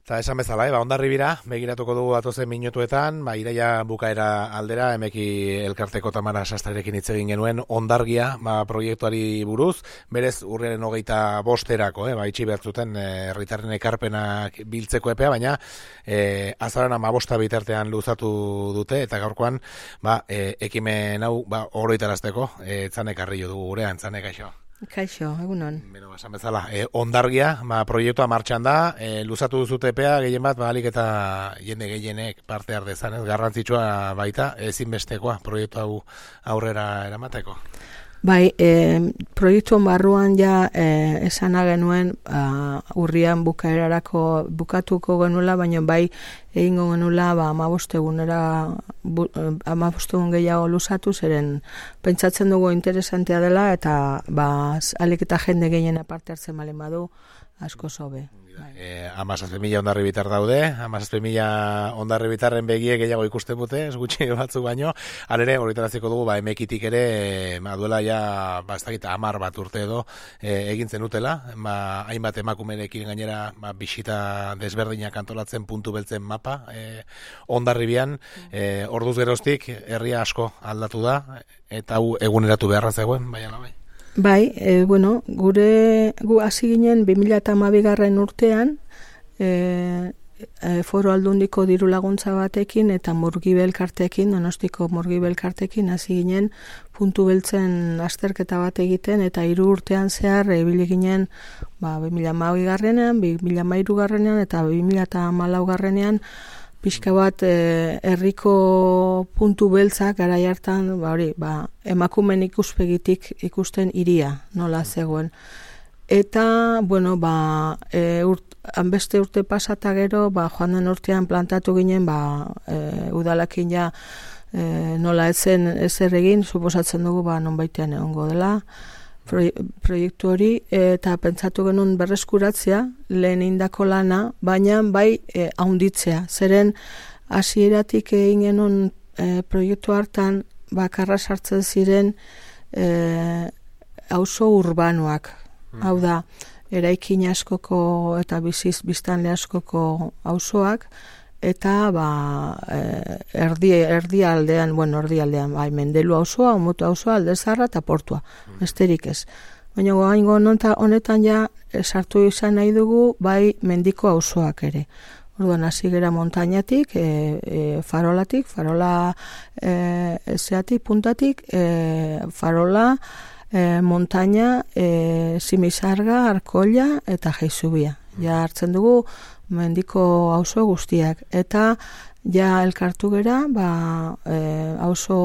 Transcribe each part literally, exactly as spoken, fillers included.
Eta esan bezala, eh, ba, Hondarribira, begiratuko dugu atozen minutuetan, ba, iraia bukaera aldera, emeki elkarteko Tamara Sastarekin hitz egin genuen Hondargia, ba, proiektuari buruz, berez urriaren hogeita bosterako, eh, ba, itxi behartzuten herritarren ekarpenak biltzeko epea, baina eh, azaran amabosta bitartean luzatu dute, eta gaurkoan, ba, eh, ekimen hau, ba, oroitarazteko, eh, Txanek Arrillo dugu gurean, Txanek, aixo. Kaixo, egunon. Beno, esan bezala, e, Hondargia, ba, proiektua martxan da, e, luzatu duzute epea, gehien bat, ba, alik eta jende gehienek parte ardezan, ez, garrantzitsua baita, ezinbestekoa, proiektu hau aurrera eramateko. Bai, e, proiektuan barruan ja e, esana genuen a, urrian bukaerarako bukatuko genuela, baina bai egingo genuela ba, amabostegunera bu, amabostegun gehiago luzatu, zeren pentsatzen dugu interesantea dela eta ba, alik eta jende gehiena parte hartzen balen badu asko sobe. E, amazazpe mila Hondarribitar daude, amazazpe mila Hondarribitarren begie gehiago ikusten dute, ez gutxi batzuk baino, alere, horretaraziko dugu, ba, emekitik ere, ba, duela ja, ba, ez dakit, amar bat urte edo, e, egin zenutela, ba, hainbat emakumerekin gainera, ba, bisita desberdinak antolatzen puntu beltzen mapa, e, Hondarribian, e, orduz geroztik, herria asko aldatu da, eta hau eguneratu beharra zegoen, baina bai. Bai, e, bueno, gure gu hasi ginen bi mila hamabigarren urtean e, e, Foro Aldundiko diru laguntza batekin eta Murgibel elkarteekin, Donostiko Murgibel elkarteekin hasi ginen puntu beltzen azterketa bat egiten eta hiru urtean zehar ibili ginen ba, bi mila hamabigarrenean, bi mila hamairugarrenean eta bi mila hamalaugarrenean pixka bat eh, herriko puntu beltzak garai hartan, ba hori, ba emakumeen ikuspegitik ikusten hiria nola zegoen. Eta, bueno, ba e, urt, hanbeste urte pasata gero, ba joan den urtean plantatu ginen, ba e, udalakin ja e, nola etzen ezer egin, suposatzen dugu ba nonbaitean egongo dela proiektu hori, eta pentsatu genuen berreskuratzea, lehen indako lana, baina bai e, haunditzea. Zeren hasieratik egin genuen e, proiektu hartan, bakarra sartzen ziren e, auzo urbanoak. Mm. Hau da, eraikin askoko eta biziz biztanle askoko auzoak, eta ba, erdi, erdi aldean, bueno, erdi aldean, bai, Mendelu auzoa, Omutu auzoa, Aldezarra eta Portua, besterik ez. Baina goaingo honetan ja sartu izan nahi dugu, bai, mendiko auzoak ere. Orduan, hasi gera montañatik, e, e, farolatik, farola e, ezeatik, puntatik, e, farola, e, montaña, e, Simisarga, Arkolla eta Jaizubia. Ja hartzen dugu, mendiko auzo guztiak eta ja elkartu gera ba e, auzo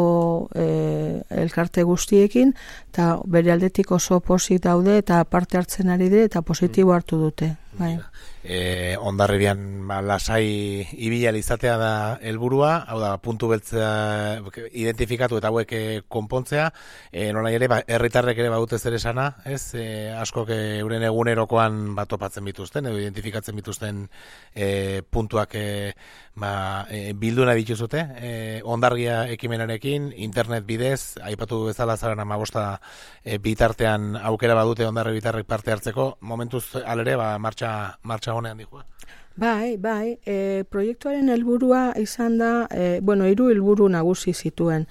e, elkarte guztiekin eta bere aldetik oso pozik daude eta parte hartzen ari dire eta positibo hartu dute bai. E, Hondarribian ba, lasai ibila izatea da helburua, hau da puntu beltza identifikatu eta hauek konpontzea, e, nola ere ba, herritarrek ere badute zer esana, ez? E, askok euren egunerokoan bat topatzen bituzten edo identifikatzen bituzten e, puntuak e, ba, e, bildu nahi bituzute, e, Hondargia ekimenarekin, internet bidez, aipatu bezala zaren amabosta e, bitartean aukera badute Hondarribitarrek parte hartzeko, momentuz alere ba, martxa, martxa honean dihua. Bai, bai, e, proiektuaren helburua izan da, e, bueno, hiru helburu nagusi zituen.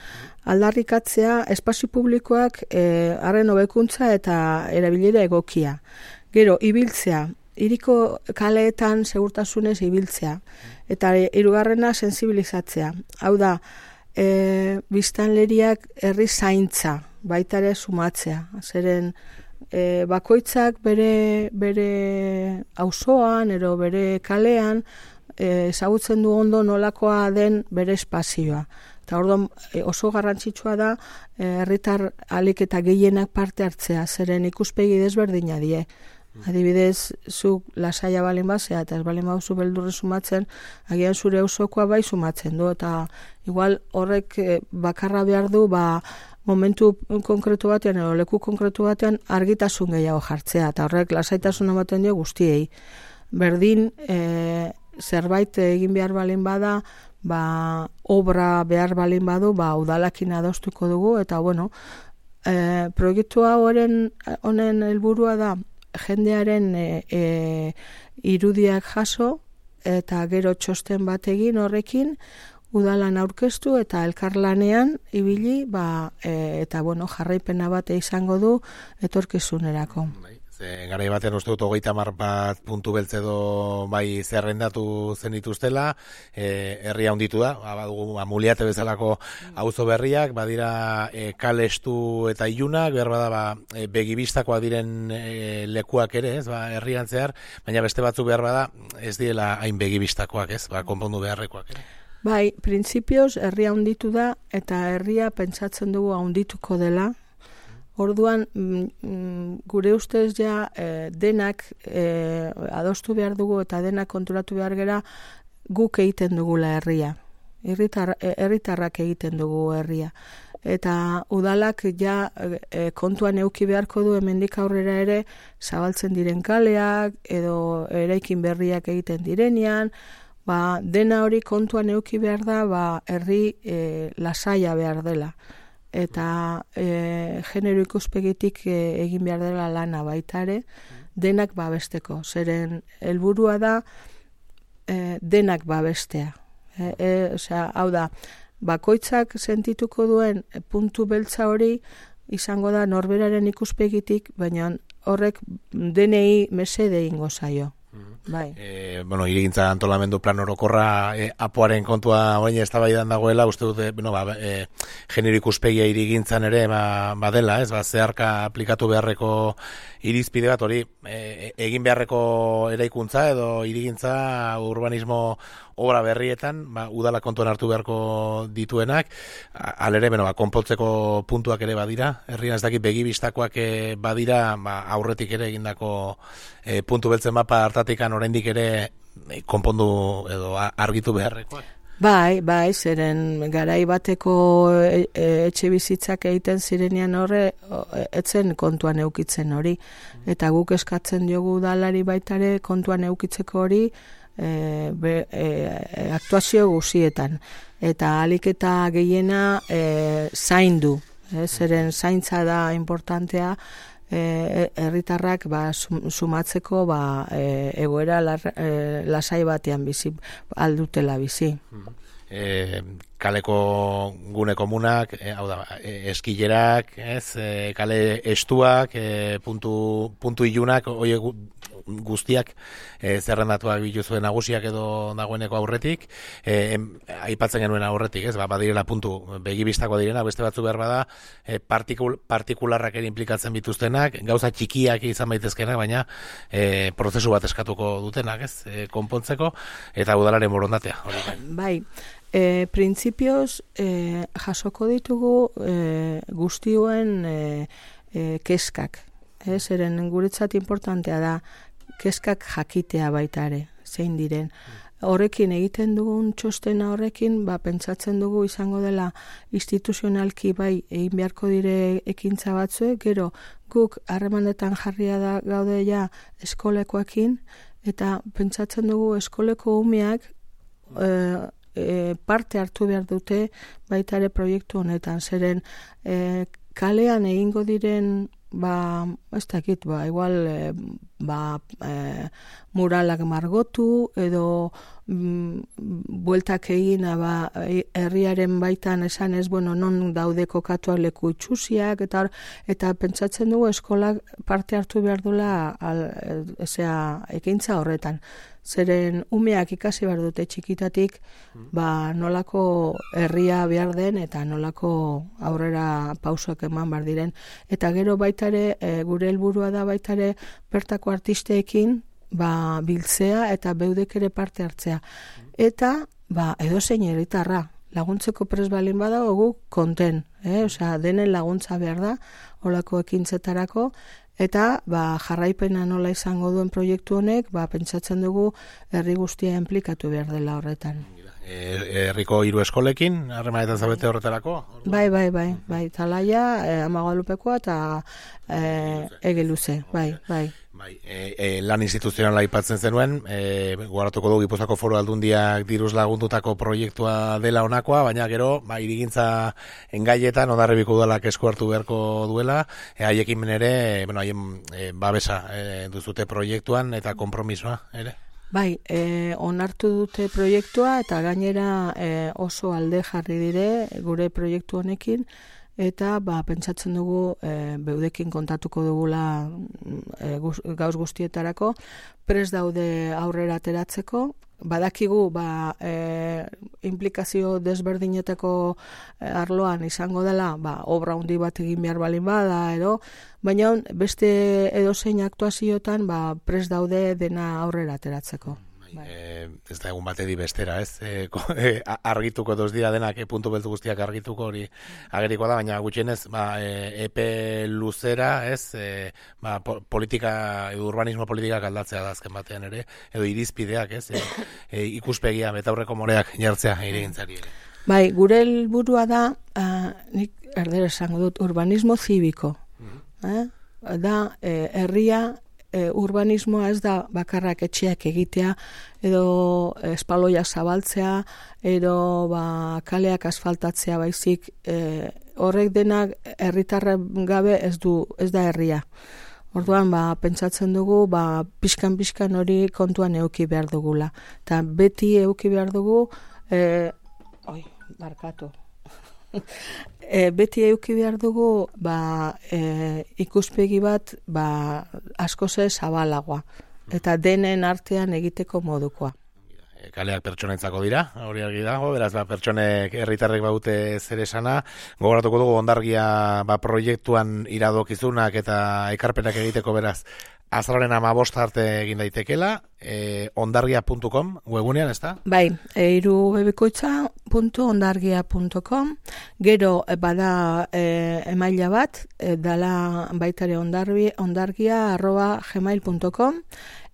Aldarrikatzea, espazio publikoak e, harren hobekuntza eta erabilera egokia. Gero, ibiltzea, hiriko kaleetan segurtasunez ibiltzea. Eta hirugarrena sensibilizatzea. Hau da, e, biztanleriak herri zaintza, baita ere sumatzea. Zeren, E, bakoitzak bere bere auzoan ero bere kalean e, ezagutzen du ondo nolakoa den bere espazioa. Eta orduan e, oso garrantzitsua da herritar e, alik eta gehienak parte hartzea, zeren ikuspegi desberdina die. Adibidez, zuk lasaia balen bazea eta ez balen bauzu beldurre sumatzen, agian zure auzokoa bai sumatzen du, eta igual horrek e, bakarra behar du, ba momentu konkretu batean edo leku konkretu batean argitasun gehiago jartzea eta horrek lasaitasun ematen dio guztiei. Berdin e, zerbait egin behar balin bada, ba obra behar balin badu, ba udalakin adostuko dugu eta bueno, e, proiektua horren honen helburua da jendearen e, e, irudiak jaso eta gero txosten bat egin horrekin, udalan aurkeztu eta elkarlanean ibili, ba, e, eta bueno, jarraipena bat izango du etorkizunerako. Garai batean uste dut hogeita hamar bat puntu beltz edo bai zerrendatu zen dituztela, e, herria handitu da, badugu Muliate bezalako auzo berriak, badira e, kalestu eta ilunak, behar bada ba, e, begibistakoak diren e, lekuak ere, ez, ba, herrian zehar, baina beste batzu behar bada ez direla hain begibistakoak, ez, ba, konpondu beharrekoak ere. Bai, printzipioz herria handitu da eta herria pentsatzen dugu handituko dela. Orduan, mm, gure ustez ja e, denak e, adostu behar dugu eta denak konturatu behar gera guk egiten dugula herria. Herritar, herritarrak egiten dugu herria. Eta udalak ja e, kontuan euki beharko du hemendik aurrera ere zabaltzen diren kaleak edo eraikin berriak egiten direnean, ba, dena hori kontuan euki behar da, ba, herri e, lasaia behar dela. Eta e, genero ikuspegitik e, egin behar dela lana baita ere, denak babesteko. Zeren helburua da e, denak babestea. E, e, osea, hau da, bakoitzak sentituko duen puntu beltza hori izango da norberaren ikuspegitik, baina horrek denei mesede ingo zaio. Bai. E, bueno, irigintza antolamendu plan orokorra e, apoaren kontua orain eztabaidan dagoela, uste dute, bueno, ba, e, genero ikuspegia irigintzan ere ba, badela, ez, ba, zeharka aplikatu beharreko irizpide bat hori e, egin beharreko eraikuntza edo irigintza urbanismo obra berrietan, ba, udala kontuan hartu beharko dituenak, alere, bueno, ba, konpontzeko puntuak ere badira, herrian ez dakit begibistakoak e, badira, ba, aurretik ere egindako e, puntu beltzen mapa hartatikan oraindik ere e, konpondu edo argitu beharrekoak. Bai, bai, zeren garai bateko e, e, etxe bizitzak egiten zirenean horre, etzen kontuan eukitzen hori. Eta guk eskatzen diogu udalari baitare kontuan eukitzeko hori, E, be, e, aktuazio guzietan eta ahalik eta gehiena e, zaindu, e, zeren zaintza da importantea e, herritarrak ba, sumatzeko ba, e, egoera lar, e, lasai batean bizi aldutela bizi. E, kaleko gune komunak, e, hau da, e, eskilerak, ez, e, kale estuak, e, puntu, puntu ilunak, oie guztiak e, zerrendatuak bituzuen nagusiak edo dagoeneko aurretik, e, em, aipatzen genuen aurretik, ez, ba, badirela puntu begibistako direna, beste batzu behar bada, e, partikul, partikularrak ere implikatzen bituztenak, gauza txikiak izan baitezkenak, baina e, prozesu bat eskatuko dutenak, ez, e, konpontzeko, eta udalaren borondatea. Hori. Bai, e, printzipioz e, jasoko ditugu e, guztioen e, e, keskak, ez, eren guretzat importantea da, keskak jakitea baita ere, zein diren. Horrekin egiten dugun txostena horrekin, ba, pentsatzen dugu izango dela instituzionalki bai egin beharko dire ekintza batzuek, gero guk harremanetan jarria da gaude ja eskolekoekin, eta pentsatzen dugu eskoleko umeak e, e, parte hartu behar dute baita ere proiektu honetan, zeren e, kalean egingo diren ba, ez dakit, ba, igual e, ba, e, muralak margotu edo mm, bueltak egina ba, herriaren baitan esan ez, bueno, non daude kokatuak leku itxusiak eta, eta pentsatzen dugu eskolak parte hartu behar duela al, ezea, ekintza horretan. Zeren umeak ikasi behar dute txikitatik ba, nolako herria behar den eta nolako aurrera pausoak eman behar diren. Eta gero baitare, e, gure helburua da baitare bertako artisteekin ba, biltzea eta beudek ere parte hartzea. Eta ba, edozein herritarra laguntzeko pres balin badago guk konten, eh? Osea, denen laguntza behar da holako ekintzetarako. Eta ba, jarraipena nola izango duen proiektu honek, ba, pentsatzen dugu herri guztia implikatu behar dela horretan. Herriko hiru eskolekin, harremanetan zabete horretarako? Bai, bai, bai, bai, Talaia, eh, Amagalupekoa eta eh, Egeluze, bai, bai. Bai, e, e, lan instituzionala aipatzen zenuen, e, guaratuko dugu Gipuzkoako Foru Aldundiak diruz lagundutako proiektua dela honakoa, baina gero, ba, irigintza engaietan Hondarribiko udalak esku hartu beharko duela, e, haiekin ere, bueno, haien e, babesa e, duzute proiektuan eta konpromisoa, ere? Bai, e, onartu dute proiektua eta gainera e, oso alde jarri dire gure proiektu honekin, eta ba, pentsatzen dugu e, beudekin kontatuko dugula e, guz, gauz guztietarako, prest daude aurrera ateratzeko, badakigu ba, e, implikazio desberdinetako arloan izango dela, ba, obra handi bat egin behar balin bada, edo, baina beste edozein aktuaziotan ba, prest daude dena aurrera ateratzeko. Bai. E, ez da egun batedi bestera, ez? E, ko, e, argituko doz dira denak, e, puntu beltu guztiak argituko hori ageriko da, baina gutxienez, ba, e, epe luzera, ez? E, ba, po, politika, edo urbanismo politikak aldatzea da azken batean ere, edo irizpideak, ez? E, e, ikuspegia, betaurreko moreak jartzea irigintzari ere. Bai, gure helburua da, uh, nik erdera esango dut, urbanismo zibiko. Mm-hmm. eh? Da, eh, herria, E, urbanismoa ez da bakarrak etxeak egitea, edo espaloiak zabaltzea, edo ba, kaleak asfaltatzea baizik, e, horrek denak herritarren gabe ez du ez da herria. Orduan, ba, pentsatzen dugu, ba, pixkan-pixkan hori kontuan euki behar dugula. Eta beti euki behar dugu, e, oi, barkatu. E, beti euki behar dugu ba, e, ikuspegi bat ba, askoze zabalagoa eta denen artean egiteko modukoa. E, kaleak pertsonentzako dira, hori argi dago, beraz ba, pertsonek herritarrek baute zer esana, gogoratuko dugu Hondargia ba, proiektuan iradokizunak eta ekarpenak egiteko beraz azaroaren hamabosta arte egin daitekela, eh, hondargia puntu com webunean, ez da? Bai, eiru bebikoitza puntu hondargia puntu com, gero bada e, emaila bat, e, dala baitare hondargia arroba gmail puntu com,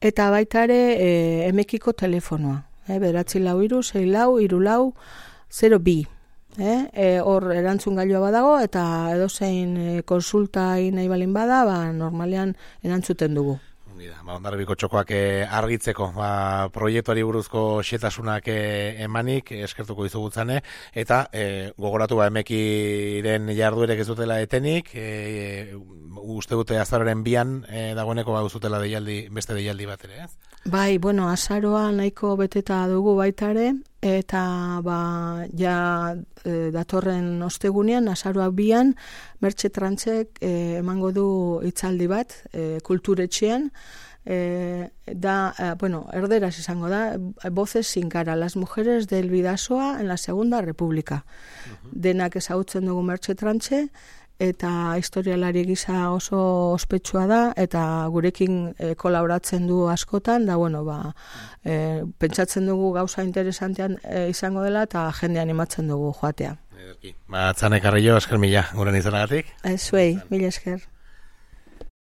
eta baitare e, emekiko telefonoa, e, beratzi lau iru, sei lau, iru lau, zero bi. Eh, e, hor erantzun gailua badago eta edozein e, konsulta nahi balin bada, ba, normalean erantzuten dugu. Ba, Hondarribiko txokoak eh, argitzeko ba, proiektuari buruzko xetasunak eh, emanik eskertuko izugutzane, eta eh, gogoratu ba, emekiren jarduerek ez dutela etenik, eh, uste dute azaroren bian eh, dagoeneko ba, uzutela deialdi, beste deialdi bat ere, ez? Bai, bueno, azaroa nahiko beteta dugu baitare, eta ba, ja e, datorren ostegunean, azaroak bian, Mertxe Trantzek e, emango du hitzaldi bat, e, kulturetxean, e, da, e, bueno, erderaz izango da, voces sin cara, las mujeres del Bidasoa en la Segunda República. Uh-huh. Denak ezagutzen dugu Mertxe Trantxe, eta historialari gisa oso ospetsua da, eta gurekin e, kolaboratzen du askotan, da, bueno, ba, e, pentsatzen dugu gauza interesantean e, izango dela, eta jende animatzen dugu joatea. Ba, Atzane Carrillo, esker mila, guren izanagatik. Ez zuei, mila esker.